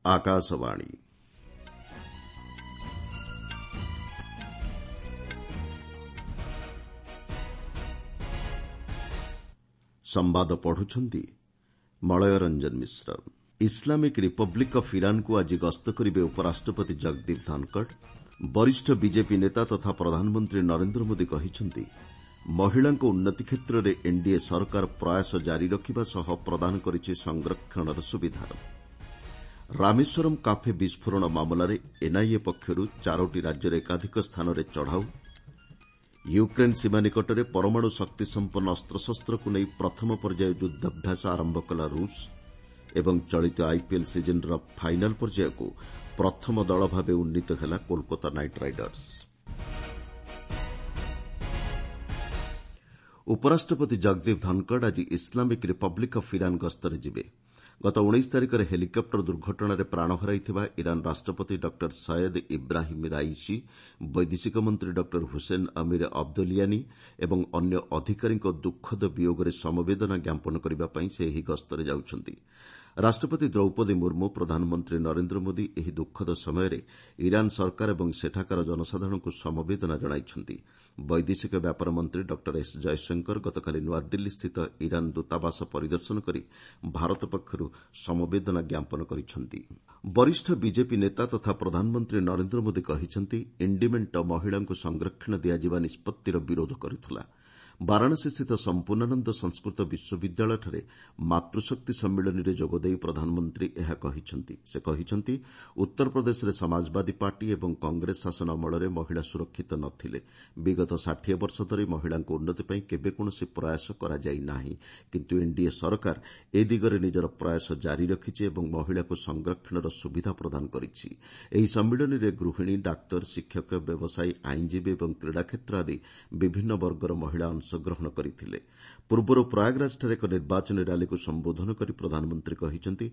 ଆକାଶବାଣୀ। ସମ୍ବାଦ ପଢୁଛନ୍ତି Malay Ranjan Mishra. Islamic Republic of ଇରାନ୍କୁ ଆଜି ଗସ୍ତ କରିବେ ଉପରାଷ୍ଟ୍ରପତି ଜଗଦୀପ ଧନଖଡ଼। ବରିଷ୍ଠ ବିଜେପି ନେତା ତଥା ପ୍ରଧାନମନ୍ତ୍ରୀ ନରେନ୍ଦ୍ର ମୋଦି କହିଛନ୍ତି, ମହିଳାଙ୍କ ଉନ୍ନତି କ୍ଷେତ୍ରରେ ଏନ୍ଡିଏ ସରକାର ପ୍ରୟାସ ଜାରି ରଖିବା ସହ ପ୍ରଦାନ କରିଛି ସଂରକ୍ଷଣର ସୁବିଧା। ରାମେଶ୍ୱରମ୍ କାଫେ ବିସ୍ଫୋରଣ ମାମଲାରେ ଏନ୍ଆଇଏ ପକ୍ଷରୁ ଚାରୋଟି ରାଜ୍ୟର ଏକାଧିକ ସ୍ଥାନରେ ଚଢ଼ାଉ। ୟୁକ୍ରେନ୍ ସୀମା ନିକଟରେ ପରମାଣୁ ଶକ୍ତିସମ୍ପନ୍ନ ଅସ୍ତ୍ରଶସ୍ତ୍ରକୁ ନେଇ ପ୍ରଥମ ପର୍ଯ୍ୟାୟ ଯୁଦ୍ଧାଭ୍ୟାସ ଆରମ୍ଭ କଲା ରୁଷ୍ ଏବଂ ଚଳିତ ଆଇପିଏଲ୍ ସିଜିନ୍ର ଫାଇନାଲ୍ ପର୍ଯ୍ୟାୟକୁ ପ୍ରଥମ ଦଳ ଭାବେ ଉନ୍ନୀତ ହେଲା କୋଲକାତା ନାଇଟ୍ ରାଇଡର୍ସ। ଉପରାଷ୍ଟ୍ରପତି ଜଗଦୀପ ଧନଖଡ଼ ଆଜି ଇସ୍ଲାମିକ୍ ରିପବ୍ଲିକ୍ ଅଫ୍ ଇରାନ୍ ଗସ୍ତରେ ଯିବେ। ଗତ 19 ତାରିଖରେ ହେଲିକପ୍ଟର ଦୁର୍ଘଟଣାରେ ପ୍ରାଣ ହରାଇଥିବା ଇରାନ୍ ରାଷ୍ଟ୍ରପତି ଡକ୍ଟର ସୟେଦ୍ ଇବ୍ରାହିମ୍ ରାଇସି, ବୈଦେଶିକ ମନ୍ତ୍ରୀ ଡକ୍ଟର ହୁସେନ୍ ଅମିର ଅବଦୋଲିଆନି ଏବଂ ଅନ୍ୟ ଅଧିକାରୀଙ୍କ ଦୁଃଖଦ ବିୟୋଗରେ ସମବେଦନା ଜ୍ଞାପନ କରିବା ପାଇଁ ସେ ଏହି ଗସ୍ତରେ ଯାଉଛନ୍ତି। ରାଷ୍ଟ୍ରପତି ଦ୍ରୌପଦୀ ମୁର୍ମୁ, ପ୍ରଧାନମନ୍ତ୍ରୀ ନରେନ୍ଦ୍ର ମୋଦି ଏହି ଦୁଃଖଦ ସମୟରେ ଇରାନ୍ ସରକାର ଏବଂ ସେଠାକାର ଜନସାଧାରଣଙ୍କୁ ସମବେଦନା ଜଣାଇଛନ୍ତି। ବୈଦେଶିକ ବ୍ୟାପାର ମନ୍ତ୍ରୀ ଡକ୍ଟର ଏସ୍ ଜୟଶଙ୍କର ଗତକାଲି ନୂଆଦିଲ୍ଲୀସ୍ଥିତ ଇରାନ୍ ଦୂତାବାସ ପରିଦର୍ଶନ କରି ଭାରତ ପକ୍ଷରୁ ସମବେଦନା ଜ୍ଞାପନ କରିଛନ୍ତି। ବରିଷ୍ଠ ବିଜେପି ନେତା ତଥା ପ୍ରଧାନମନ୍ତ୍ରୀ ନରେନ୍ଦ୍ର ମୋଦି କହିଛନ୍ତି, ଇଣ୍ଡି ମେଣ୍ଟ ମହିଳାଙ୍କୁ ସଂରକ୍ଷଣ ଦିଆଯିବା ନିଷ୍ପତ୍ତିର ବିରୋଧ କରୁଥିଲା। ବାରାଣସୀସ୍ଥିତ ସମ୍ପୂର୍ଣ୍ଣାନନ୍ଦ ସଂସ୍କୃତ ବିଶ୍ୱବିଦ୍ୟାଳୟଠାରେ ମାତୃଶକ୍ତି ସମ୍ମିଳନୀରେ ଯୋଗଦେଇ ପ୍ରଧାନମନ୍ତ୍ରୀ ଏହା କହିଛନ୍ତି। ସେ କହିଛନ୍ତି, ଉତ୍ତରପ୍ରଦେଶରେ ସମାଜବାଦୀ ପାର୍ଟି ଏବଂ କଂଗ୍ରେସ ଶାସନ ଅମଳରେ ମହିଳା ସୁରକ୍ଷିତ ନ ଥିଲେ। ବିଗତ 60 ବର୍ଷ ଧରି ମହିଳାଙ୍କ ଉନ୍ନତି ପାଇଁ କେବେ କୌଣସି ପ୍ରୟାସ କରାଯାଇ ନାହିଁ। କିନ୍ତୁ ଏନ୍ଡିଏ ସରକାର ଏ ଦିଗରେ ନିଜର ପ୍ରୟାସ ଜାରି ରଖିଛି ଏବଂ ମହିଳାଙ୍କୁ ସଂରକ୍ଷଣର ସୁବିଧା ପ୍ରଦାନ କରିଛି। ଏହି ସମ୍ମିଳନୀରେ ଗୃହିଣୀ, ଡାକ୍ତର, ଶିକ୍ଷକ, ବ୍ୟବସାୟୀ, ଆଇନଜୀବୀ ଏବଂ କ୍ରୀଡ଼ା କ୍ଷେତ୍ର ଆଦି ବିଭିନ୍ନ ବର୍ଗର ମହିଳା ଅଂଶଗ୍ରହଣ କରିଥିଲେ। ପୂର୍ବରୁ ପ୍ରୟାଗରାଜଠାରେ ଏକ ନିର୍ବାଚନୀ ର୍ୟାଲିକୁ ସମ୍ବୋଧନ କରି ପ୍ରଧାନମନ୍ତ୍ରୀ କହିଛନ୍ତି,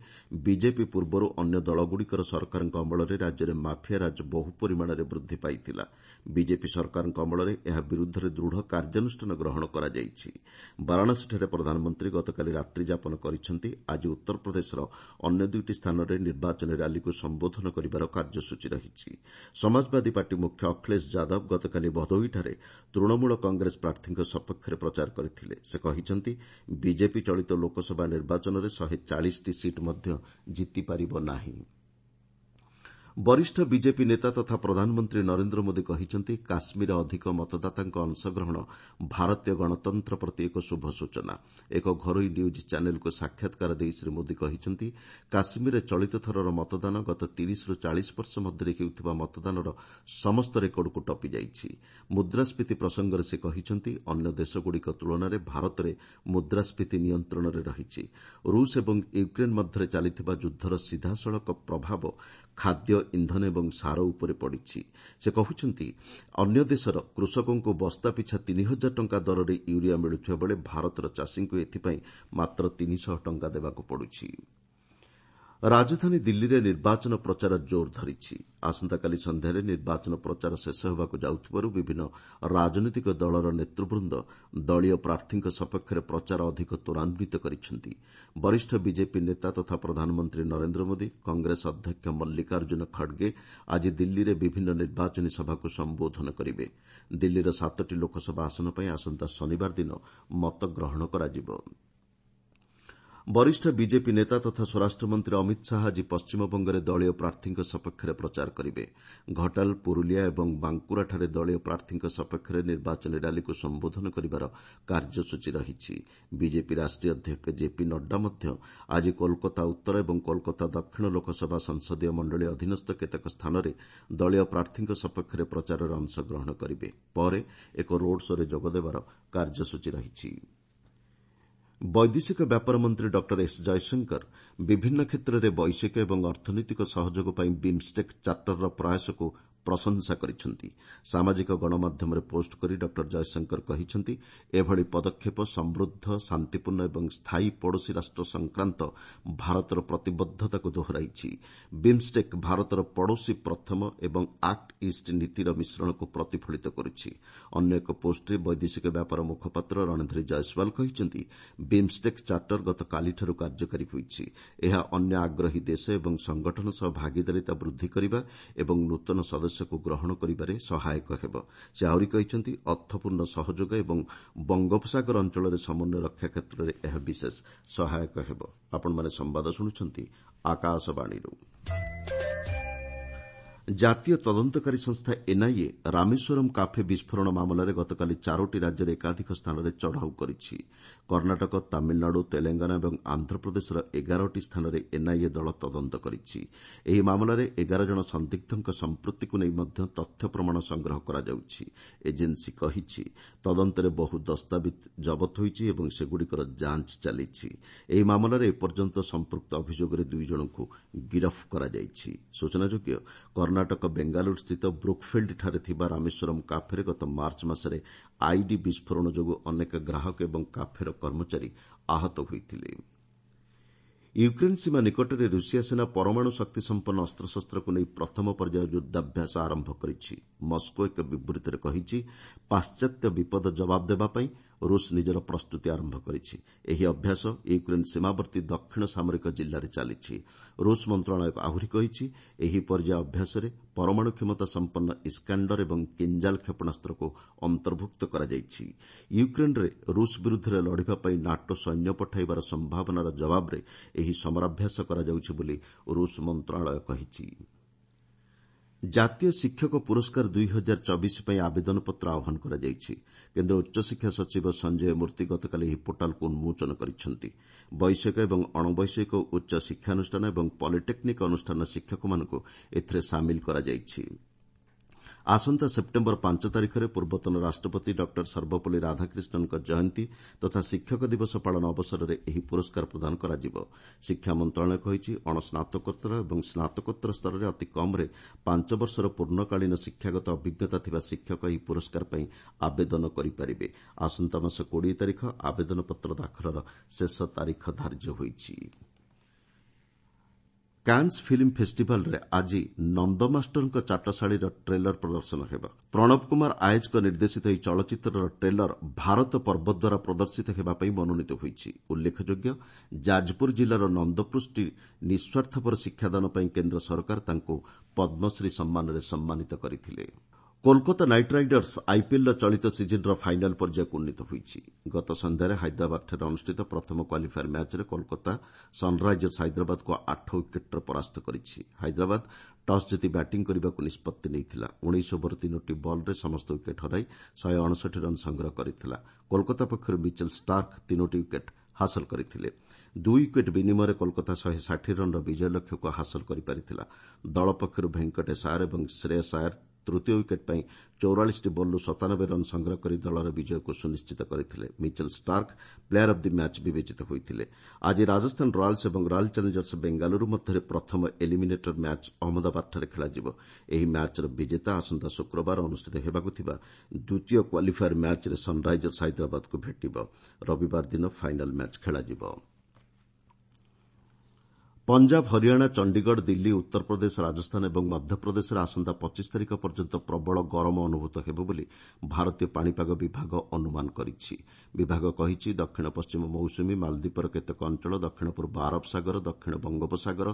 ବିଜେପି ପୂର୍ବରୁ ଅନ୍ୟ ଦଳଗୁଡ଼ିକର ସରକାରଙ୍କ ଅମଳରେ ରାଜ୍ୟରେ ମାଫିଆରାଜ ବହୁ ପରିମାଣରେ ବୃଦ୍ଧି ପାଇଥିଲା। ବିଜେପି ସରକାରଙ୍କ ଅମଳରେ ଏହା ବିରୁଦ୍ଧରେ ଦୃଢ଼ କାର୍ଯ୍ୟାନୁଷ୍ଠାନ ଗ୍ରହଣ କରାଯାଇଛି। ବାରାଣସୀଠାରେ ପ୍ରଧାନମନ୍ତ୍ରୀ ଗତକାଲି ରାତ୍ରିଯାପନ କରିଛନ୍ତି। ଆଜି ଉତ୍ତରପ୍ରଦେଶର ଅନ୍ୟ ଦୁଇଟି ସ୍ଥାନରେ ନିର୍ବାଚନୀ ର୍ୟାଲିକୁ ସମ୍ବୋଧନ କରିବାର କାର୍ଯ୍ୟସୂଚୀ ରହିଛି। ସମାଜବାଦୀ ପାର୍ଟି ମୁଖ୍ୟ ଅଖିଳେଶ ଯାଦବ ଗତକାଲି ଭଦୋହିଠାରେ ତୃଣମୂଳ କଂଗ୍ରେସ ପ୍ରାର୍ଥୀଙ୍କ ସପକ୍ଷରେ ପ୍ରଚାର କରିଥିଲେ। ସେ କହିଛନ୍ତି, ବିଜେପି ଚଳିତ ଲୋକସଭା ନିର୍ବାଚନରେ 140ଟି ସିଟ୍ ମଧ୍ୟ ଜିତିପାରିବ ନାହିଁ। ବରିଷ୍ଠ ବିଜେପି ନେତା ତଥା ପ୍ରଧାନମନ୍ତ୍ରୀ ନରେନ୍ଦ୍ର ମୋଦି କହିଛନ୍ତି, କାଶ୍ମୀରରେ ଅଧିକ ମତଦାତାଙ୍କ ଅଂଶଗ୍ରହଣ ଭାରତୀୟ ଗଣତନ୍ତ୍ର ପ୍ରତି ଏକ ଶୁଭ ସୂଚନା। ଏକ ଘରୋଇ ନ୍ୟୁଜ୍ ଚ୍ୟାନେଲ୍କୁ ସାକ୍ଷାତକାର ଦେଇ ଶ୍ରୀ ମୋଦି କହିଛନ୍ତି, କାଶ୍ମୀରରେ ଚଳିତ ଥରର ମତଦାନ ଗତ 30ରୁ 40 ବର୍ଷ ମଧ୍ୟରେ ହେଉଥିବା ମତଦାନର ସମସ୍ତ ରେକର୍ଡକୁ ଟପିଯାଇଛି। ମୁଦ୍ରାସ୍ଫୀତି ପ୍ରସଙ୍ଗରେ ସେ କହିଛନ୍ତି, ଅନ୍ୟ ଦେଶଗୁଡ଼ିକ ତୁଳନାରେ ଭାରତରେ ମୁଦ୍ରାସ୍ଫୀତି ନିୟନ୍ତ୍ରଣରେ ରହିଛି। ରୁଷ୍ ଏବଂ ୟୁକ୍ରେନ୍ ମଧ୍ୟରେ ଚାଲିଥିବା ଯୁଦ୍ଧର ସିଧାସଳଖ ପ୍ରଭାବ ଖାଦ୍ୟ, ଇନ୍ଧନ ଏବଂ ସାର ଉପରେ ପଡ଼ିଛି। ସେ କହୁଛନ୍ତି, ଅନ୍ୟ ଦେଶର କୃଷକଙ୍କୁ ବସ୍ତା ପିଛା 3000 ଟଙ୍କା ଦରରେ ୟୁରିଆ ମିଳୁଥିବା ବେଳେ ଭାରତର ଚାଷୀଙ୍କୁ ଏଥିପାଇଁ ମାତ୍ର 300 ଟଙ୍କା ଦେବାକୁ ପଡୁଛି। ରାଜଧାନୀ ଦିଲ୍ଲୀରେ ନିର୍ବାଚନ ପ୍ରଚାର ଜୋର୍ ଧରିଛି। ଆସନ୍ତାକାଲି ସନ୍ଧ୍ୟାରେ ନିର୍ବାଚନ ପ୍ରଚାର ଶେଷ ହେବାକୁ ଯାଉଥିବାରୁ ବିଭିନ୍ନ ରାଜନୈତିକ ଦଳର ନେତୃବୃନ୍ଦ ଦଳୀୟ ପ୍ରାର୍ଥୀଙ୍କ ସପକ୍ଷରେ ପ୍ରଚାର ଅଧିକ ତ୍ୱରାନ୍ୱିତ କରିଛନ୍ତି। ବରିଷ୍ଠ ବିଜେପି ନେତା ତଥା ପ୍ରଧାନମନ୍ତ୍ରୀ ନରେନ୍ଦ୍ର ମୋଦି, କଂଗ୍ରେସ ଅଧ୍ୟକ୍ଷ ମଲ୍ଲିକାର୍ଜୁନ ଖଡ୍ଗେ ଆଜି ଦିଲ୍ଲୀରେ ବିଭିନ୍ନ ନିର୍ବାଚନୀ ସଭାକୁ ସମ୍ବୋଧନ କରିବେ। ଦିଲ୍ଲୀର ସାତଟି ଲୋକସଭା ଆସନ ପାଇଁ ଆସନ୍ତା ଶନିବାର ଦିନ ମତଗ୍ରହଣ କରାଯିବ। ବରିଷ୍ଠ ବିଜେପି ନେତା ତଥା ସ୍ୱରାଷ୍ଟ୍ରମନ୍ତ୍ରୀ ଅମିତ ଶାହା ଆଜି ପଶ୍ଚିମବଙ୍ଗରେ ଦଳୀୟ ପ୍ରାର୍ଥୀଙ୍କ ସପକ୍ଷରେ ପ୍ରଚାର କରିବେ। ଘଟାଲ, ପୁରୁଲିଆ ଏବଂ ବାଙ୍କୁରାଠାରେ ଦଳୀୟ ପ୍ରାର୍ଥୀଙ୍କ ସପକ୍ଷରେ ନିର୍ବାଚନୀ ର୍ୟାଲିକୁ ସମ୍ବୋଧନ କରିବାର କାର୍ଯ୍ୟସୂଚୀ ରହିଛି। ବିଜେପି ରାଷ୍ଟ୍ରୀୟ ଅଧ୍ୟକ୍ଷ ଜେପି ନଡ୍ଡା ମଧ୍ୟ ଆଜି କୋଲକାତା ଉତ୍ତର ଏବଂ କୋଲକାତା ଦକ୍ଷିଣ ଲୋକସଭା ସଂସଦୀୟ ମଣ୍ଡଳୀ ଅଧୀନସ୍ଥ କେତେକ ସ୍ଥାନରେ ଦଳୀୟ ପ୍ରାର୍ଥୀଙ୍କ ସପକ୍ଷରେ ପ୍ରଚାରରେ ଅଂଶଗ୍ରହଣ କରିବେ। ପରେ ଏକ ରୋଡ୍ ଶୋ'ରେ ଯୋଗଦେବାର କାର୍ଯ୍ୟସୂଚୀ ରହିଛି। ବୈଦେଶିକ ବ୍ୟାପାର ମନ୍ତ୍ରୀ ଡକ୍ଟର ଏସ୍ ଜୟଶଙ୍କର ବିଭିନ୍ନ କ୍ଷେତ୍ରରେ ବୈଷୟିକ ଏବଂ ଅର୍ଥନୈତିକ ସହଯୋଗ ପାଇଁ ବିମ୍ଷ୍ଟେକ୍ ଚାର୍ଟରର ପ୍ରୟାସକୁ ପ୍ରଶଂସା କରିଛନ୍ତି। ସାମାଜିକ ଗଣମାଧ୍ୟମରେ ପୋଷ୍ଟ କରି ଡକ୍ଟର ଜୟଶଙ୍କର କହିଛନ୍ତି, ଏଭଳି ପଦକ୍ଷେପ ସମୃଦ୍ଧ, ଶାନ୍ତିପୂର୍ଣ୍ଣ ଏବଂ ସ୍ଥାୟୀ ପଡ଼ୋଶୀ ରାଷ୍ଟ୍ର ସଂକ୍ରାନ୍ତ ଭାରତର ପ୍ରତିବଦ୍ଧତାକୁ ଦୋହରାଇଛି। ବିମ୍ଷ୍ଟେକ୍ ଭାରତର ପଡ଼ୋଶୀ ପ୍ରଥମ ଏବଂ ଆକ୍ଟ ଇଷ୍ଟ ନୀତିର ମିଶ୍ରଣକୁ ପ୍ରତିଫଳିତ କରୁଛି। ଅନ୍ୟ ଏକ ପୋଷ୍ଟରେ ବୈଦେଶିକ ବ୍ୟାପାର ମୁଖପାତ୍ର ରଣଧୀର ଜୟସ୍ୱାଲ କହିଛନ୍ତି, ବିମ୍ଷ୍ଟେକ୍ ଚାର୍ଟର ଗତକାଲିଠାରୁ କାର୍ଯ୍ୟକାରୀ ହୋଇଛି। ଏହା ଅନ୍ୟ ଆଗ୍ରହୀ ଦେଶ ଏବଂ ସଂଗଠନ ସହ ଭାଗିଦାରିତା ବୃଦ୍ଧି କରିବା ଏବଂ ନୂତନ ସଦସ୍ୟକୁ ଗ୍ରହଣ କରିବାରେ ସହାୟକ ହେବ। ସେ ଆହୁରି କହିଛନ୍ତି, ଅର୍ଥପୂର୍ଣ୍ଣ ସହଯୋଗ ଏବଂ ବଙ୍ଗୋପସାଗର ଅଞ୍ଚଳରେ ସମନ୍ୱୟ ରକ୍ଷା କ୍ଷେତ୍ରରେ ଏହା ବିଶେଷ ସହାୟକ ହେବ। ଆପଣମାନେ ସମ୍ବାଦ ଶୁଣୁଛନ୍ତି ଆକାଶବାଣୀରୁ। ଜାତୀୟ ତଦନ୍ତକାରୀ ସଂସ୍ଥା ଏନ୍ଆଇଏ ରାମେଶ୍ୱରମ୍ କାଫେ ବିସ୍ଫୋରଣ ମାମଲାରେ ଗତକାଲି ଚାରୋଟି ରାଜ୍ୟର ଏକାଧିକ ସ୍ଥାନରେ ଚଢ଼ାଉ କରିଛି। କର୍ଣ୍ଣାଟକ, ତାମିଲନାଡୁ, ତେଲଙ୍ଗାନା ଏବଂ ଆନ୍ଧ୍ରପ୍ରଦେଶର 11ଟି ସ୍ଥାନରେ ଏନ୍ଆଇଏ ଦଳ ତଦନ୍ତ କରିଛି। ଏହି ମାମଲାରେ 11 ଜଣ ସନ୍ଦିଗ୍ଧଙ୍କ ସମ୍ପୃକ୍ତିକୁ ନେଇ ମଧ୍ୟ ତଥ୍ୟ ପ୍ରମାଣ ସଂଗ୍ରହ କରାଯାଉଛି। ଏଜେନ୍ସି କହିଛି, ତଦନ୍ତରେ ବହୁ ଦସ୍ତାବିଜ୍ ଜବତ ହୋଇଛି ଏବଂ ସେଗୁଡ଼ିକର ଯାଞ୍ଚ ଚାଲିଛି। ଏହି ମାମଲାରେ ଏପର୍ଯ୍ୟନ୍ତ ସମ୍ପୃକ୍ତ ଅଭିଯୋଗରେ 2 ଜଣଙ୍କୁ ଗିରଫ କରାଯାଇଛି। ସୂଚନାଯୋଗ୍ୟ, କର୍ଣ୍ଣାଟକ ବେଙ୍ଗାଲୁରୁସ୍ଥିତ ବ୍ରୁକ୍ଫିଲ୍ଡଠାରେ ଥିବା ରାମେଶ୍ୱରମ୍ କାଫେରେ ଗତ ମାର୍ଚ୍ଚ ମାସରେ ଆଇଡି ବିସ୍ଫୋରଣ ଯୋଗୁଁ ଅନେକ ଗ୍ରାହକ ଏବଂ କାଫେର କର୍ମଚାରୀ ଆହତ ହୋଇଥିଲେ। ୟୁକ୍ରେନ୍ ସୀମା ନିକଟରେ ରୁଷିଆ ସେନା ପରମାଣୁ ଶକ୍ତିସମ୍ପନ୍ନ ଅସ୍ତ୍ରଶସ୍ତ୍ରକୁ ନେଇ ପ୍ରଥମ ପର୍ଯ୍ୟାୟ ଯୁଦ୍ଧାଭ୍ୟାସ ଆରମ୍ଭ କରିଛି। ମସ୍କୋ ଏକ ବିବୃତ୍ତିରେ କହିଛି, ପାଶ୍ଚାତ୍ୟ ବିପଦ ଜବାବ ଦେବା ପାଇଁ ରୁଷ ନିଜର ପ୍ରସ୍ତୁତି ଆରମ୍ଭ କରିଛି। ଏହି ଅଭ୍ୟାସ ୟୁକ୍ରେନ୍ ସୀମାବର୍ତ୍ତୀ ଦକ୍ଷିଣ ସାମରିକ ଜିଲ୍ଲାରେ ଚାଲିଛି। ରୁଷ ମନ୍ତ୍ରଣାଳୟ ଆହୁରି କହିଛି, ଏହି ପର୍ଯ୍ୟାୟ ଅଭ୍ୟାସରେ ପରମାଣୁ କ୍ଷମତା ସମ୍ପନ୍ନ ଇସ୍କାଣ୍ଡର ଏବଂ କିଞ୍ଜାଲ କ୍ଷେପଣାସ୍ତ୍ରକୁ ଅନ୍ତର୍ଭୁକ୍ତ କରାଯାଇଛି। ୟୁକ୍ରେନ୍ରେ ରୁଷ ବିରୁଦ୍ଧରେ ଲଢ଼ିବା ପାଇଁ ନାଟୋ ସୈନ୍ୟ ପଠାଇବାର ସମ୍ଭାବନାର ଜବାବରେ ଏହି ସମରାଭ୍ୟାସ କରାଯାଉଛି ବୋଲି ରୁଷ ମନ୍ତ୍ରଣାଳୟ କହିଛି। ଜାତୀୟ ଶିକ୍ଷକ ପୁରସ୍କାର 2024 ପାଇଁ ଆବେଦନପତ୍ର ଆହ୍ୱାନ କରାଯାଇଛି। କେନ୍ଦ୍ର ଉଚ୍ଚଶିକ୍ଷା ସଚିବ ସଞ୍ଜୟ ମୂର୍ତ୍ତି ଗତକାଲି ଏହି ପୋର୍ଟାଲକୁ ଉନ୍ମୋଚନ କରିଛନ୍ତି। ବୈଷୟିକ ଏବଂ ଅଣବୈଷୟିକ ଉଚ୍ଚ ଶିକ୍ଷାନୁଷ୍ଠାନ ଏବଂ ପଲିଟେକ୍ନିକ୍ ଅନୁଷ୍ଠାନର ଶିକ୍ଷକମାନଙ୍କୁ ଏଥିରେ ସାମିଲ କରାଯାଇଛି। ଆସନ୍ତା ସେପ୍ଟେମ୍ବର 5 ତାରିଖରେ ପୂର୍ବତନ ରାଷ୍ଟ୍ରପତି ଡକ୍ଟର ସର୍ବପଲ୍ଲୀ ରାଧାକ୍ରିଷ୍ଣନଙ୍କ ଜୟନ୍ତୀ ତଥା ଶିକ୍ଷକ ଦିବସ ପାଳନ ଅବସରରେ ଏହି ପୁରସ୍କାର ପ୍ରଦାନ କରାଯିବ। ଶିକ୍ଷା ମନ୍ତ୍ରଣାଳୟ କହିଛି, ଅଣସ୍ନାତକୋତ୍ତର ଏବଂ ସ୍ନାତକୋତ୍ତର ସ୍ତରରେ ଅତି କମ୍ରେ 5 ବର୍ଷର ପୂର୍ଣ୍ଣକାଳୀନ ଶିକ୍ଷାଗତ ଅଭିଜ୍ଞତା ଥିବା ଶିକ୍ଷକ ଏହି ପୁରସ୍କାର ପାଇଁ ଆବେଦନ କରିପାରିବେ। ଆସନ୍ତା ମାସ 20 ତାରିଖ ଆବେଦନପତ୍ର ଦାଖଲର ଶେଷ ତାରିଖ ଧାର୍ଯ୍ୟ ହୋଇଛି। କାନ୍ସ ଫିଲ୍ମ ଫେଷ୍ଟିଭାଲ୍ରେ ଆଜି ନନ୍ଦ ମାଷ୍ଟରଙ୍କ ଚାଟଶାଳୀର ଟ୍ରେଲର ପ୍ରଦର୍ଶନ ହେବ। ପ୍ରଣବ କୁମାର ଆୟଜଙ୍କ ନିର୍ଦ୍ଦେଶିତ ଏହି ଚଳଚ୍ଚିତ୍ରର ଟ୍ରେଲର ଭାରତ ପର୍ବ ଦ୍ୱାରା ପ୍ରଦର୍ଶିତ ହେବା ପାଇଁ ମନୋନୀତ ହୋଇଛି। ଉଲ୍ଲେଖଯୋଗ୍ୟ, ଯାଜପୁର ଜିଲ୍ଲାର ନନ୍ଦପୃଷ୍ଟି ନିଃସ୍ୱାର୍ଥପର ଶିକ୍ଷାଦାନ ପାଇଁ କେନ୍ଦ୍ର ସରକାର ତାଙ୍କୁ ପଦ୍ମଶ୍ରୀ ସମ୍ମାନରେ ସମ୍ମାନିତ କରିଥିଲେ। କୋଲକାତା ନାଇଟ୍ ରାଇଡର୍ସ ଆଇପିଏଲ୍ର ଚଳିତ ସିଜିନ୍ର ଫାଇନାଲ୍ ପର୍ଯ୍ୟାୟକୁ ଉନ୍ନୀତ ହୋଇଛି। ଗତ ସନ୍ଧ୍ୟାରେ ହାଇଦ୍ରାବାଦଠାରେ ଅନୁଷ୍ଠିତ ପ୍ରଥମ କ୍ୱାଲିଫାୟର ମ୍ୟାଚ୍ରେ କୋଲକାତା ସନ୍ରାଇଜର୍ସ ହାଇଦ୍ରାବାଦକୁ 8 ୱିକେଟ୍ରେ ପରାସ୍ତ କରିଛି। ହାଇଦ୍ରାବାଦ ଟସ୍ ଜିତି ବ୍ୟାଟିଂ କରିବାକୁ ନିଷ୍ପତ୍ତି ନେଇଥିଲା। 19 ଓଭର 3ଟି ବଲ୍ରେ ସମସ୍ତ ୱିକେଟ୍ ହରାଇ 159 ରନ୍ ସଂଗ୍ରହ କରିଥିଲା। କୋଲକାତା ପକ୍ଷରୁ ମିଚେଲ୍ ଷ୍ଟାର୍କ 3ଟି ୱିକେଟ୍ ହାସଲ କରିଥିଲେ। 2 ୱିକେଟ୍ ବିନିମୟରେ କୋଲକାତା 160 ରନ୍ର ବିଜୟ ଲକ୍ଷ୍ୟକୁ ହାସଲ କରିପାରିଥିଲା। ଦଳ ପକ୍ଷରୁ ଭେଙ୍କଟେଶ ଆୟର ଏବଂ ଶ୍ରେୟସ ଆୟର ତୃତୀୟ ୱିକେଟ୍ ପାଇଁ 44ଟି ବଲ୍ରୁ 97 ରନ୍ ସଂଗ୍ରହ କରି ଦଳର ବିଜୟକୁ ସୁନିଶ୍ଚିତ କରିଥିଲେ। Mitchell Starc player of the match ବିବେଚିତ ହୋଇଥିଲେ। ଆଜି ରାଜସ୍ଥାନ ରୟାଲ୍ସ ଏବଂ ରୟାଲ୍ ଚ୍ୟାଲେଞ୍ଜର୍ସ ବେଙ୍ଗାଲୁରୁ ମଧ୍ୟରେ ପ୍ରଥମ ଏଲିମିନେଟର ମ୍ୟାଚ୍ ଅହମ୍ମଦାବାଦଠାରେ ଖେଳାଯିବ। ଏହି ମ୍ୟାଚ୍ର ବିଜେତା ଆସନ୍ତା ଶୁକ୍ରବାର ଅନୁଷ୍ଠିତ ହେବାକୁ ଥିବା ଦ୍ୱିତୀୟ କ୍ୱାଲିଫାୟର ମ୍ୟାଚ୍ରେ ସନ୍ରାଇଜର୍ସ ହାଇଦ୍ରାବାଦକୁ ଭେଟିବ। ରବିବାର ଦିନ ଫାଇନାଲ୍ ମ୍ୟାଚ୍ ଖେଳାଯିବ। ପଞ୍ଜାବ, ହରିୟାଣା, ଚଣ୍ଡିଗଡ଼, ଦିଲ୍ଲୀ, ଉତ୍ତରପ୍ରଦେଶ, ରାଜସ୍ଥାନ ଏବଂ ମଧ୍ୟପ୍ରଦେଶରେ ଆସନ୍ତା 25 ତାରିଖ ପର୍ଯ୍ୟନ୍ତ ପ୍ରବଳ ଗରମ ଅନୁଭୂତ ହେବ ବୋଲି ଭାରତୀୟ ପାଣିପାଗ ବିଭାଗ ଅନୁମାନ କରିଛି। ବିଭାଗ କହିଛି, ଦକ୍ଷିଣ ପଶ୍ଚିମ ମୌସୁମୀ ମାଲଦ୍ୱୀପର କେତେକ ଅଞ୍ଚଳ, ଦକ୍ଷିଣ ପୂର୍ବ ଆରବ ସାଗର, ଦକ୍ଷିଣ ବଙ୍ଗୋପସାଗର,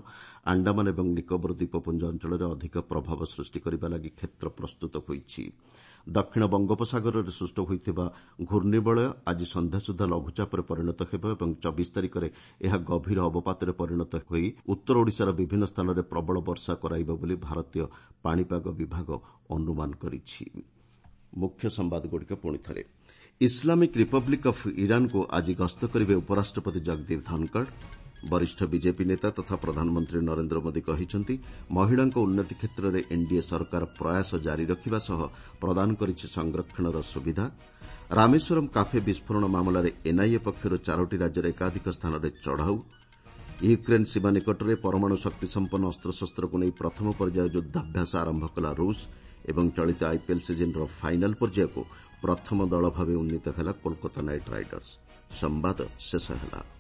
ଆଣ୍ଡାମାନ ଏବଂ ନିକୋବର ଦ୍ୱୀପପୁଞ୍ଜ ଅଞ୍ଚଳରେ ଅଧିକ ପ୍ରଭାବ ସୃଷ୍ଟି କରିବା ଲାଗି କ୍ଷେତ୍ର ପ୍ରସ୍ତୁତ ହୋଇଛି। ଦକ୍ଷିଣ ବଙ୍ଗୋପସାଗରରେ ସୃଷ୍ଟ ହୋଇଥିବା ଘୂର୍ଣ୍ଣିବଳୟ ଆଜି ସନ୍ଧ୍ୟା ସୁଦ୍ଧା ଲଘୁଚାପରେ ପରିଣତ ହେବ ଏବଂ 24 ତାରିଖରେ ଏହା ଗଭୀର ଅବପାତରେ ପରିଣତ ହୋଇ ଉତ୍ତର ଓଡ଼ିଶାର ବିଭିନ୍ନ ସ୍ଥାନରେ ପ୍ରବଳ ବର୍ଷା କରାଇବ ବୋଲି ଭାରତୀୟ ପାଣିପାଗ ବିଭାଗ ଅନୁମାନ କରିଛି। ମୁଖ୍ୟ ସମ୍ବାଦଗୁଡ଼ିକ ପୁଣି ଥରେ। ଇସଲାମିକ୍ ରିପବ୍ଲିକ୍ ଅଫ୍ ଇରାନ୍କୁ ଆଜି ଗସ୍ତ କରିବେ ଉପରାଷ୍ଟ୍ରପତି ଜଗଦୀପ ଧନକଡ଼। ବରିଷ୍ଠ ବିଜେପି ନେତା ତଥା ପ୍ରଧାନମନ୍ତ୍ରୀ ନରେନ୍ଦ୍ର ମୋଦି କହିଛନ୍ତି, ମହିଳାଙ୍କ ଉନ୍ନତି କ୍ଷେତ୍ରରେ ଏନ୍ଡିଏ ସରକାର ପ୍ରୟାସ ଜାରି ରଖିବା ସହ ପ୍ରଦାନ କରିଛି ସଂରକ୍ଷଣର ସୁବିଧା। ରାମେଶ୍ୱରମ୍ କାଫେ ବିସ୍ଫୋରଣ ମାମଲାରେ ଏନ୍ଆଇଏ ପକ୍ଷରୁ 4ଟି ରାଜ୍ୟର ଏକାଧିକ ସ୍ଥାନରେ ଚଢ଼ାଉ। ୟୁକ୍ରେନ୍ ସୀମା ନିକଟରେ ପରମାଣୁ ଶକ୍ତିସମ୍ପନ୍ନ ଅସ୍ତ୍ରଶସ୍ତ୍ରକୁ ନେଇ ପ୍ରଥମ ପର୍ଯ୍ୟାୟ ଯୁଦ୍ଧାଭ୍ୟାସ ଆରମ୍ଭ କଲା ରୁଷ। ଏବଂ ଚଳିତ ଆଇପିଏଲ୍ ସିଜିନ୍ର ଫାଇନାଲ୍ ପର୍ଯ୍ୟାୟକୁ ପ୍ରଥମ ଦଳ ଭାବେ ଉନ୍ନୀତ ହେଲା କୋଲକାତା ନାଇଟ୍ ରାଇଡର୍ସ। ସମ୍ବାଦ ଶେଷ ହେଲା।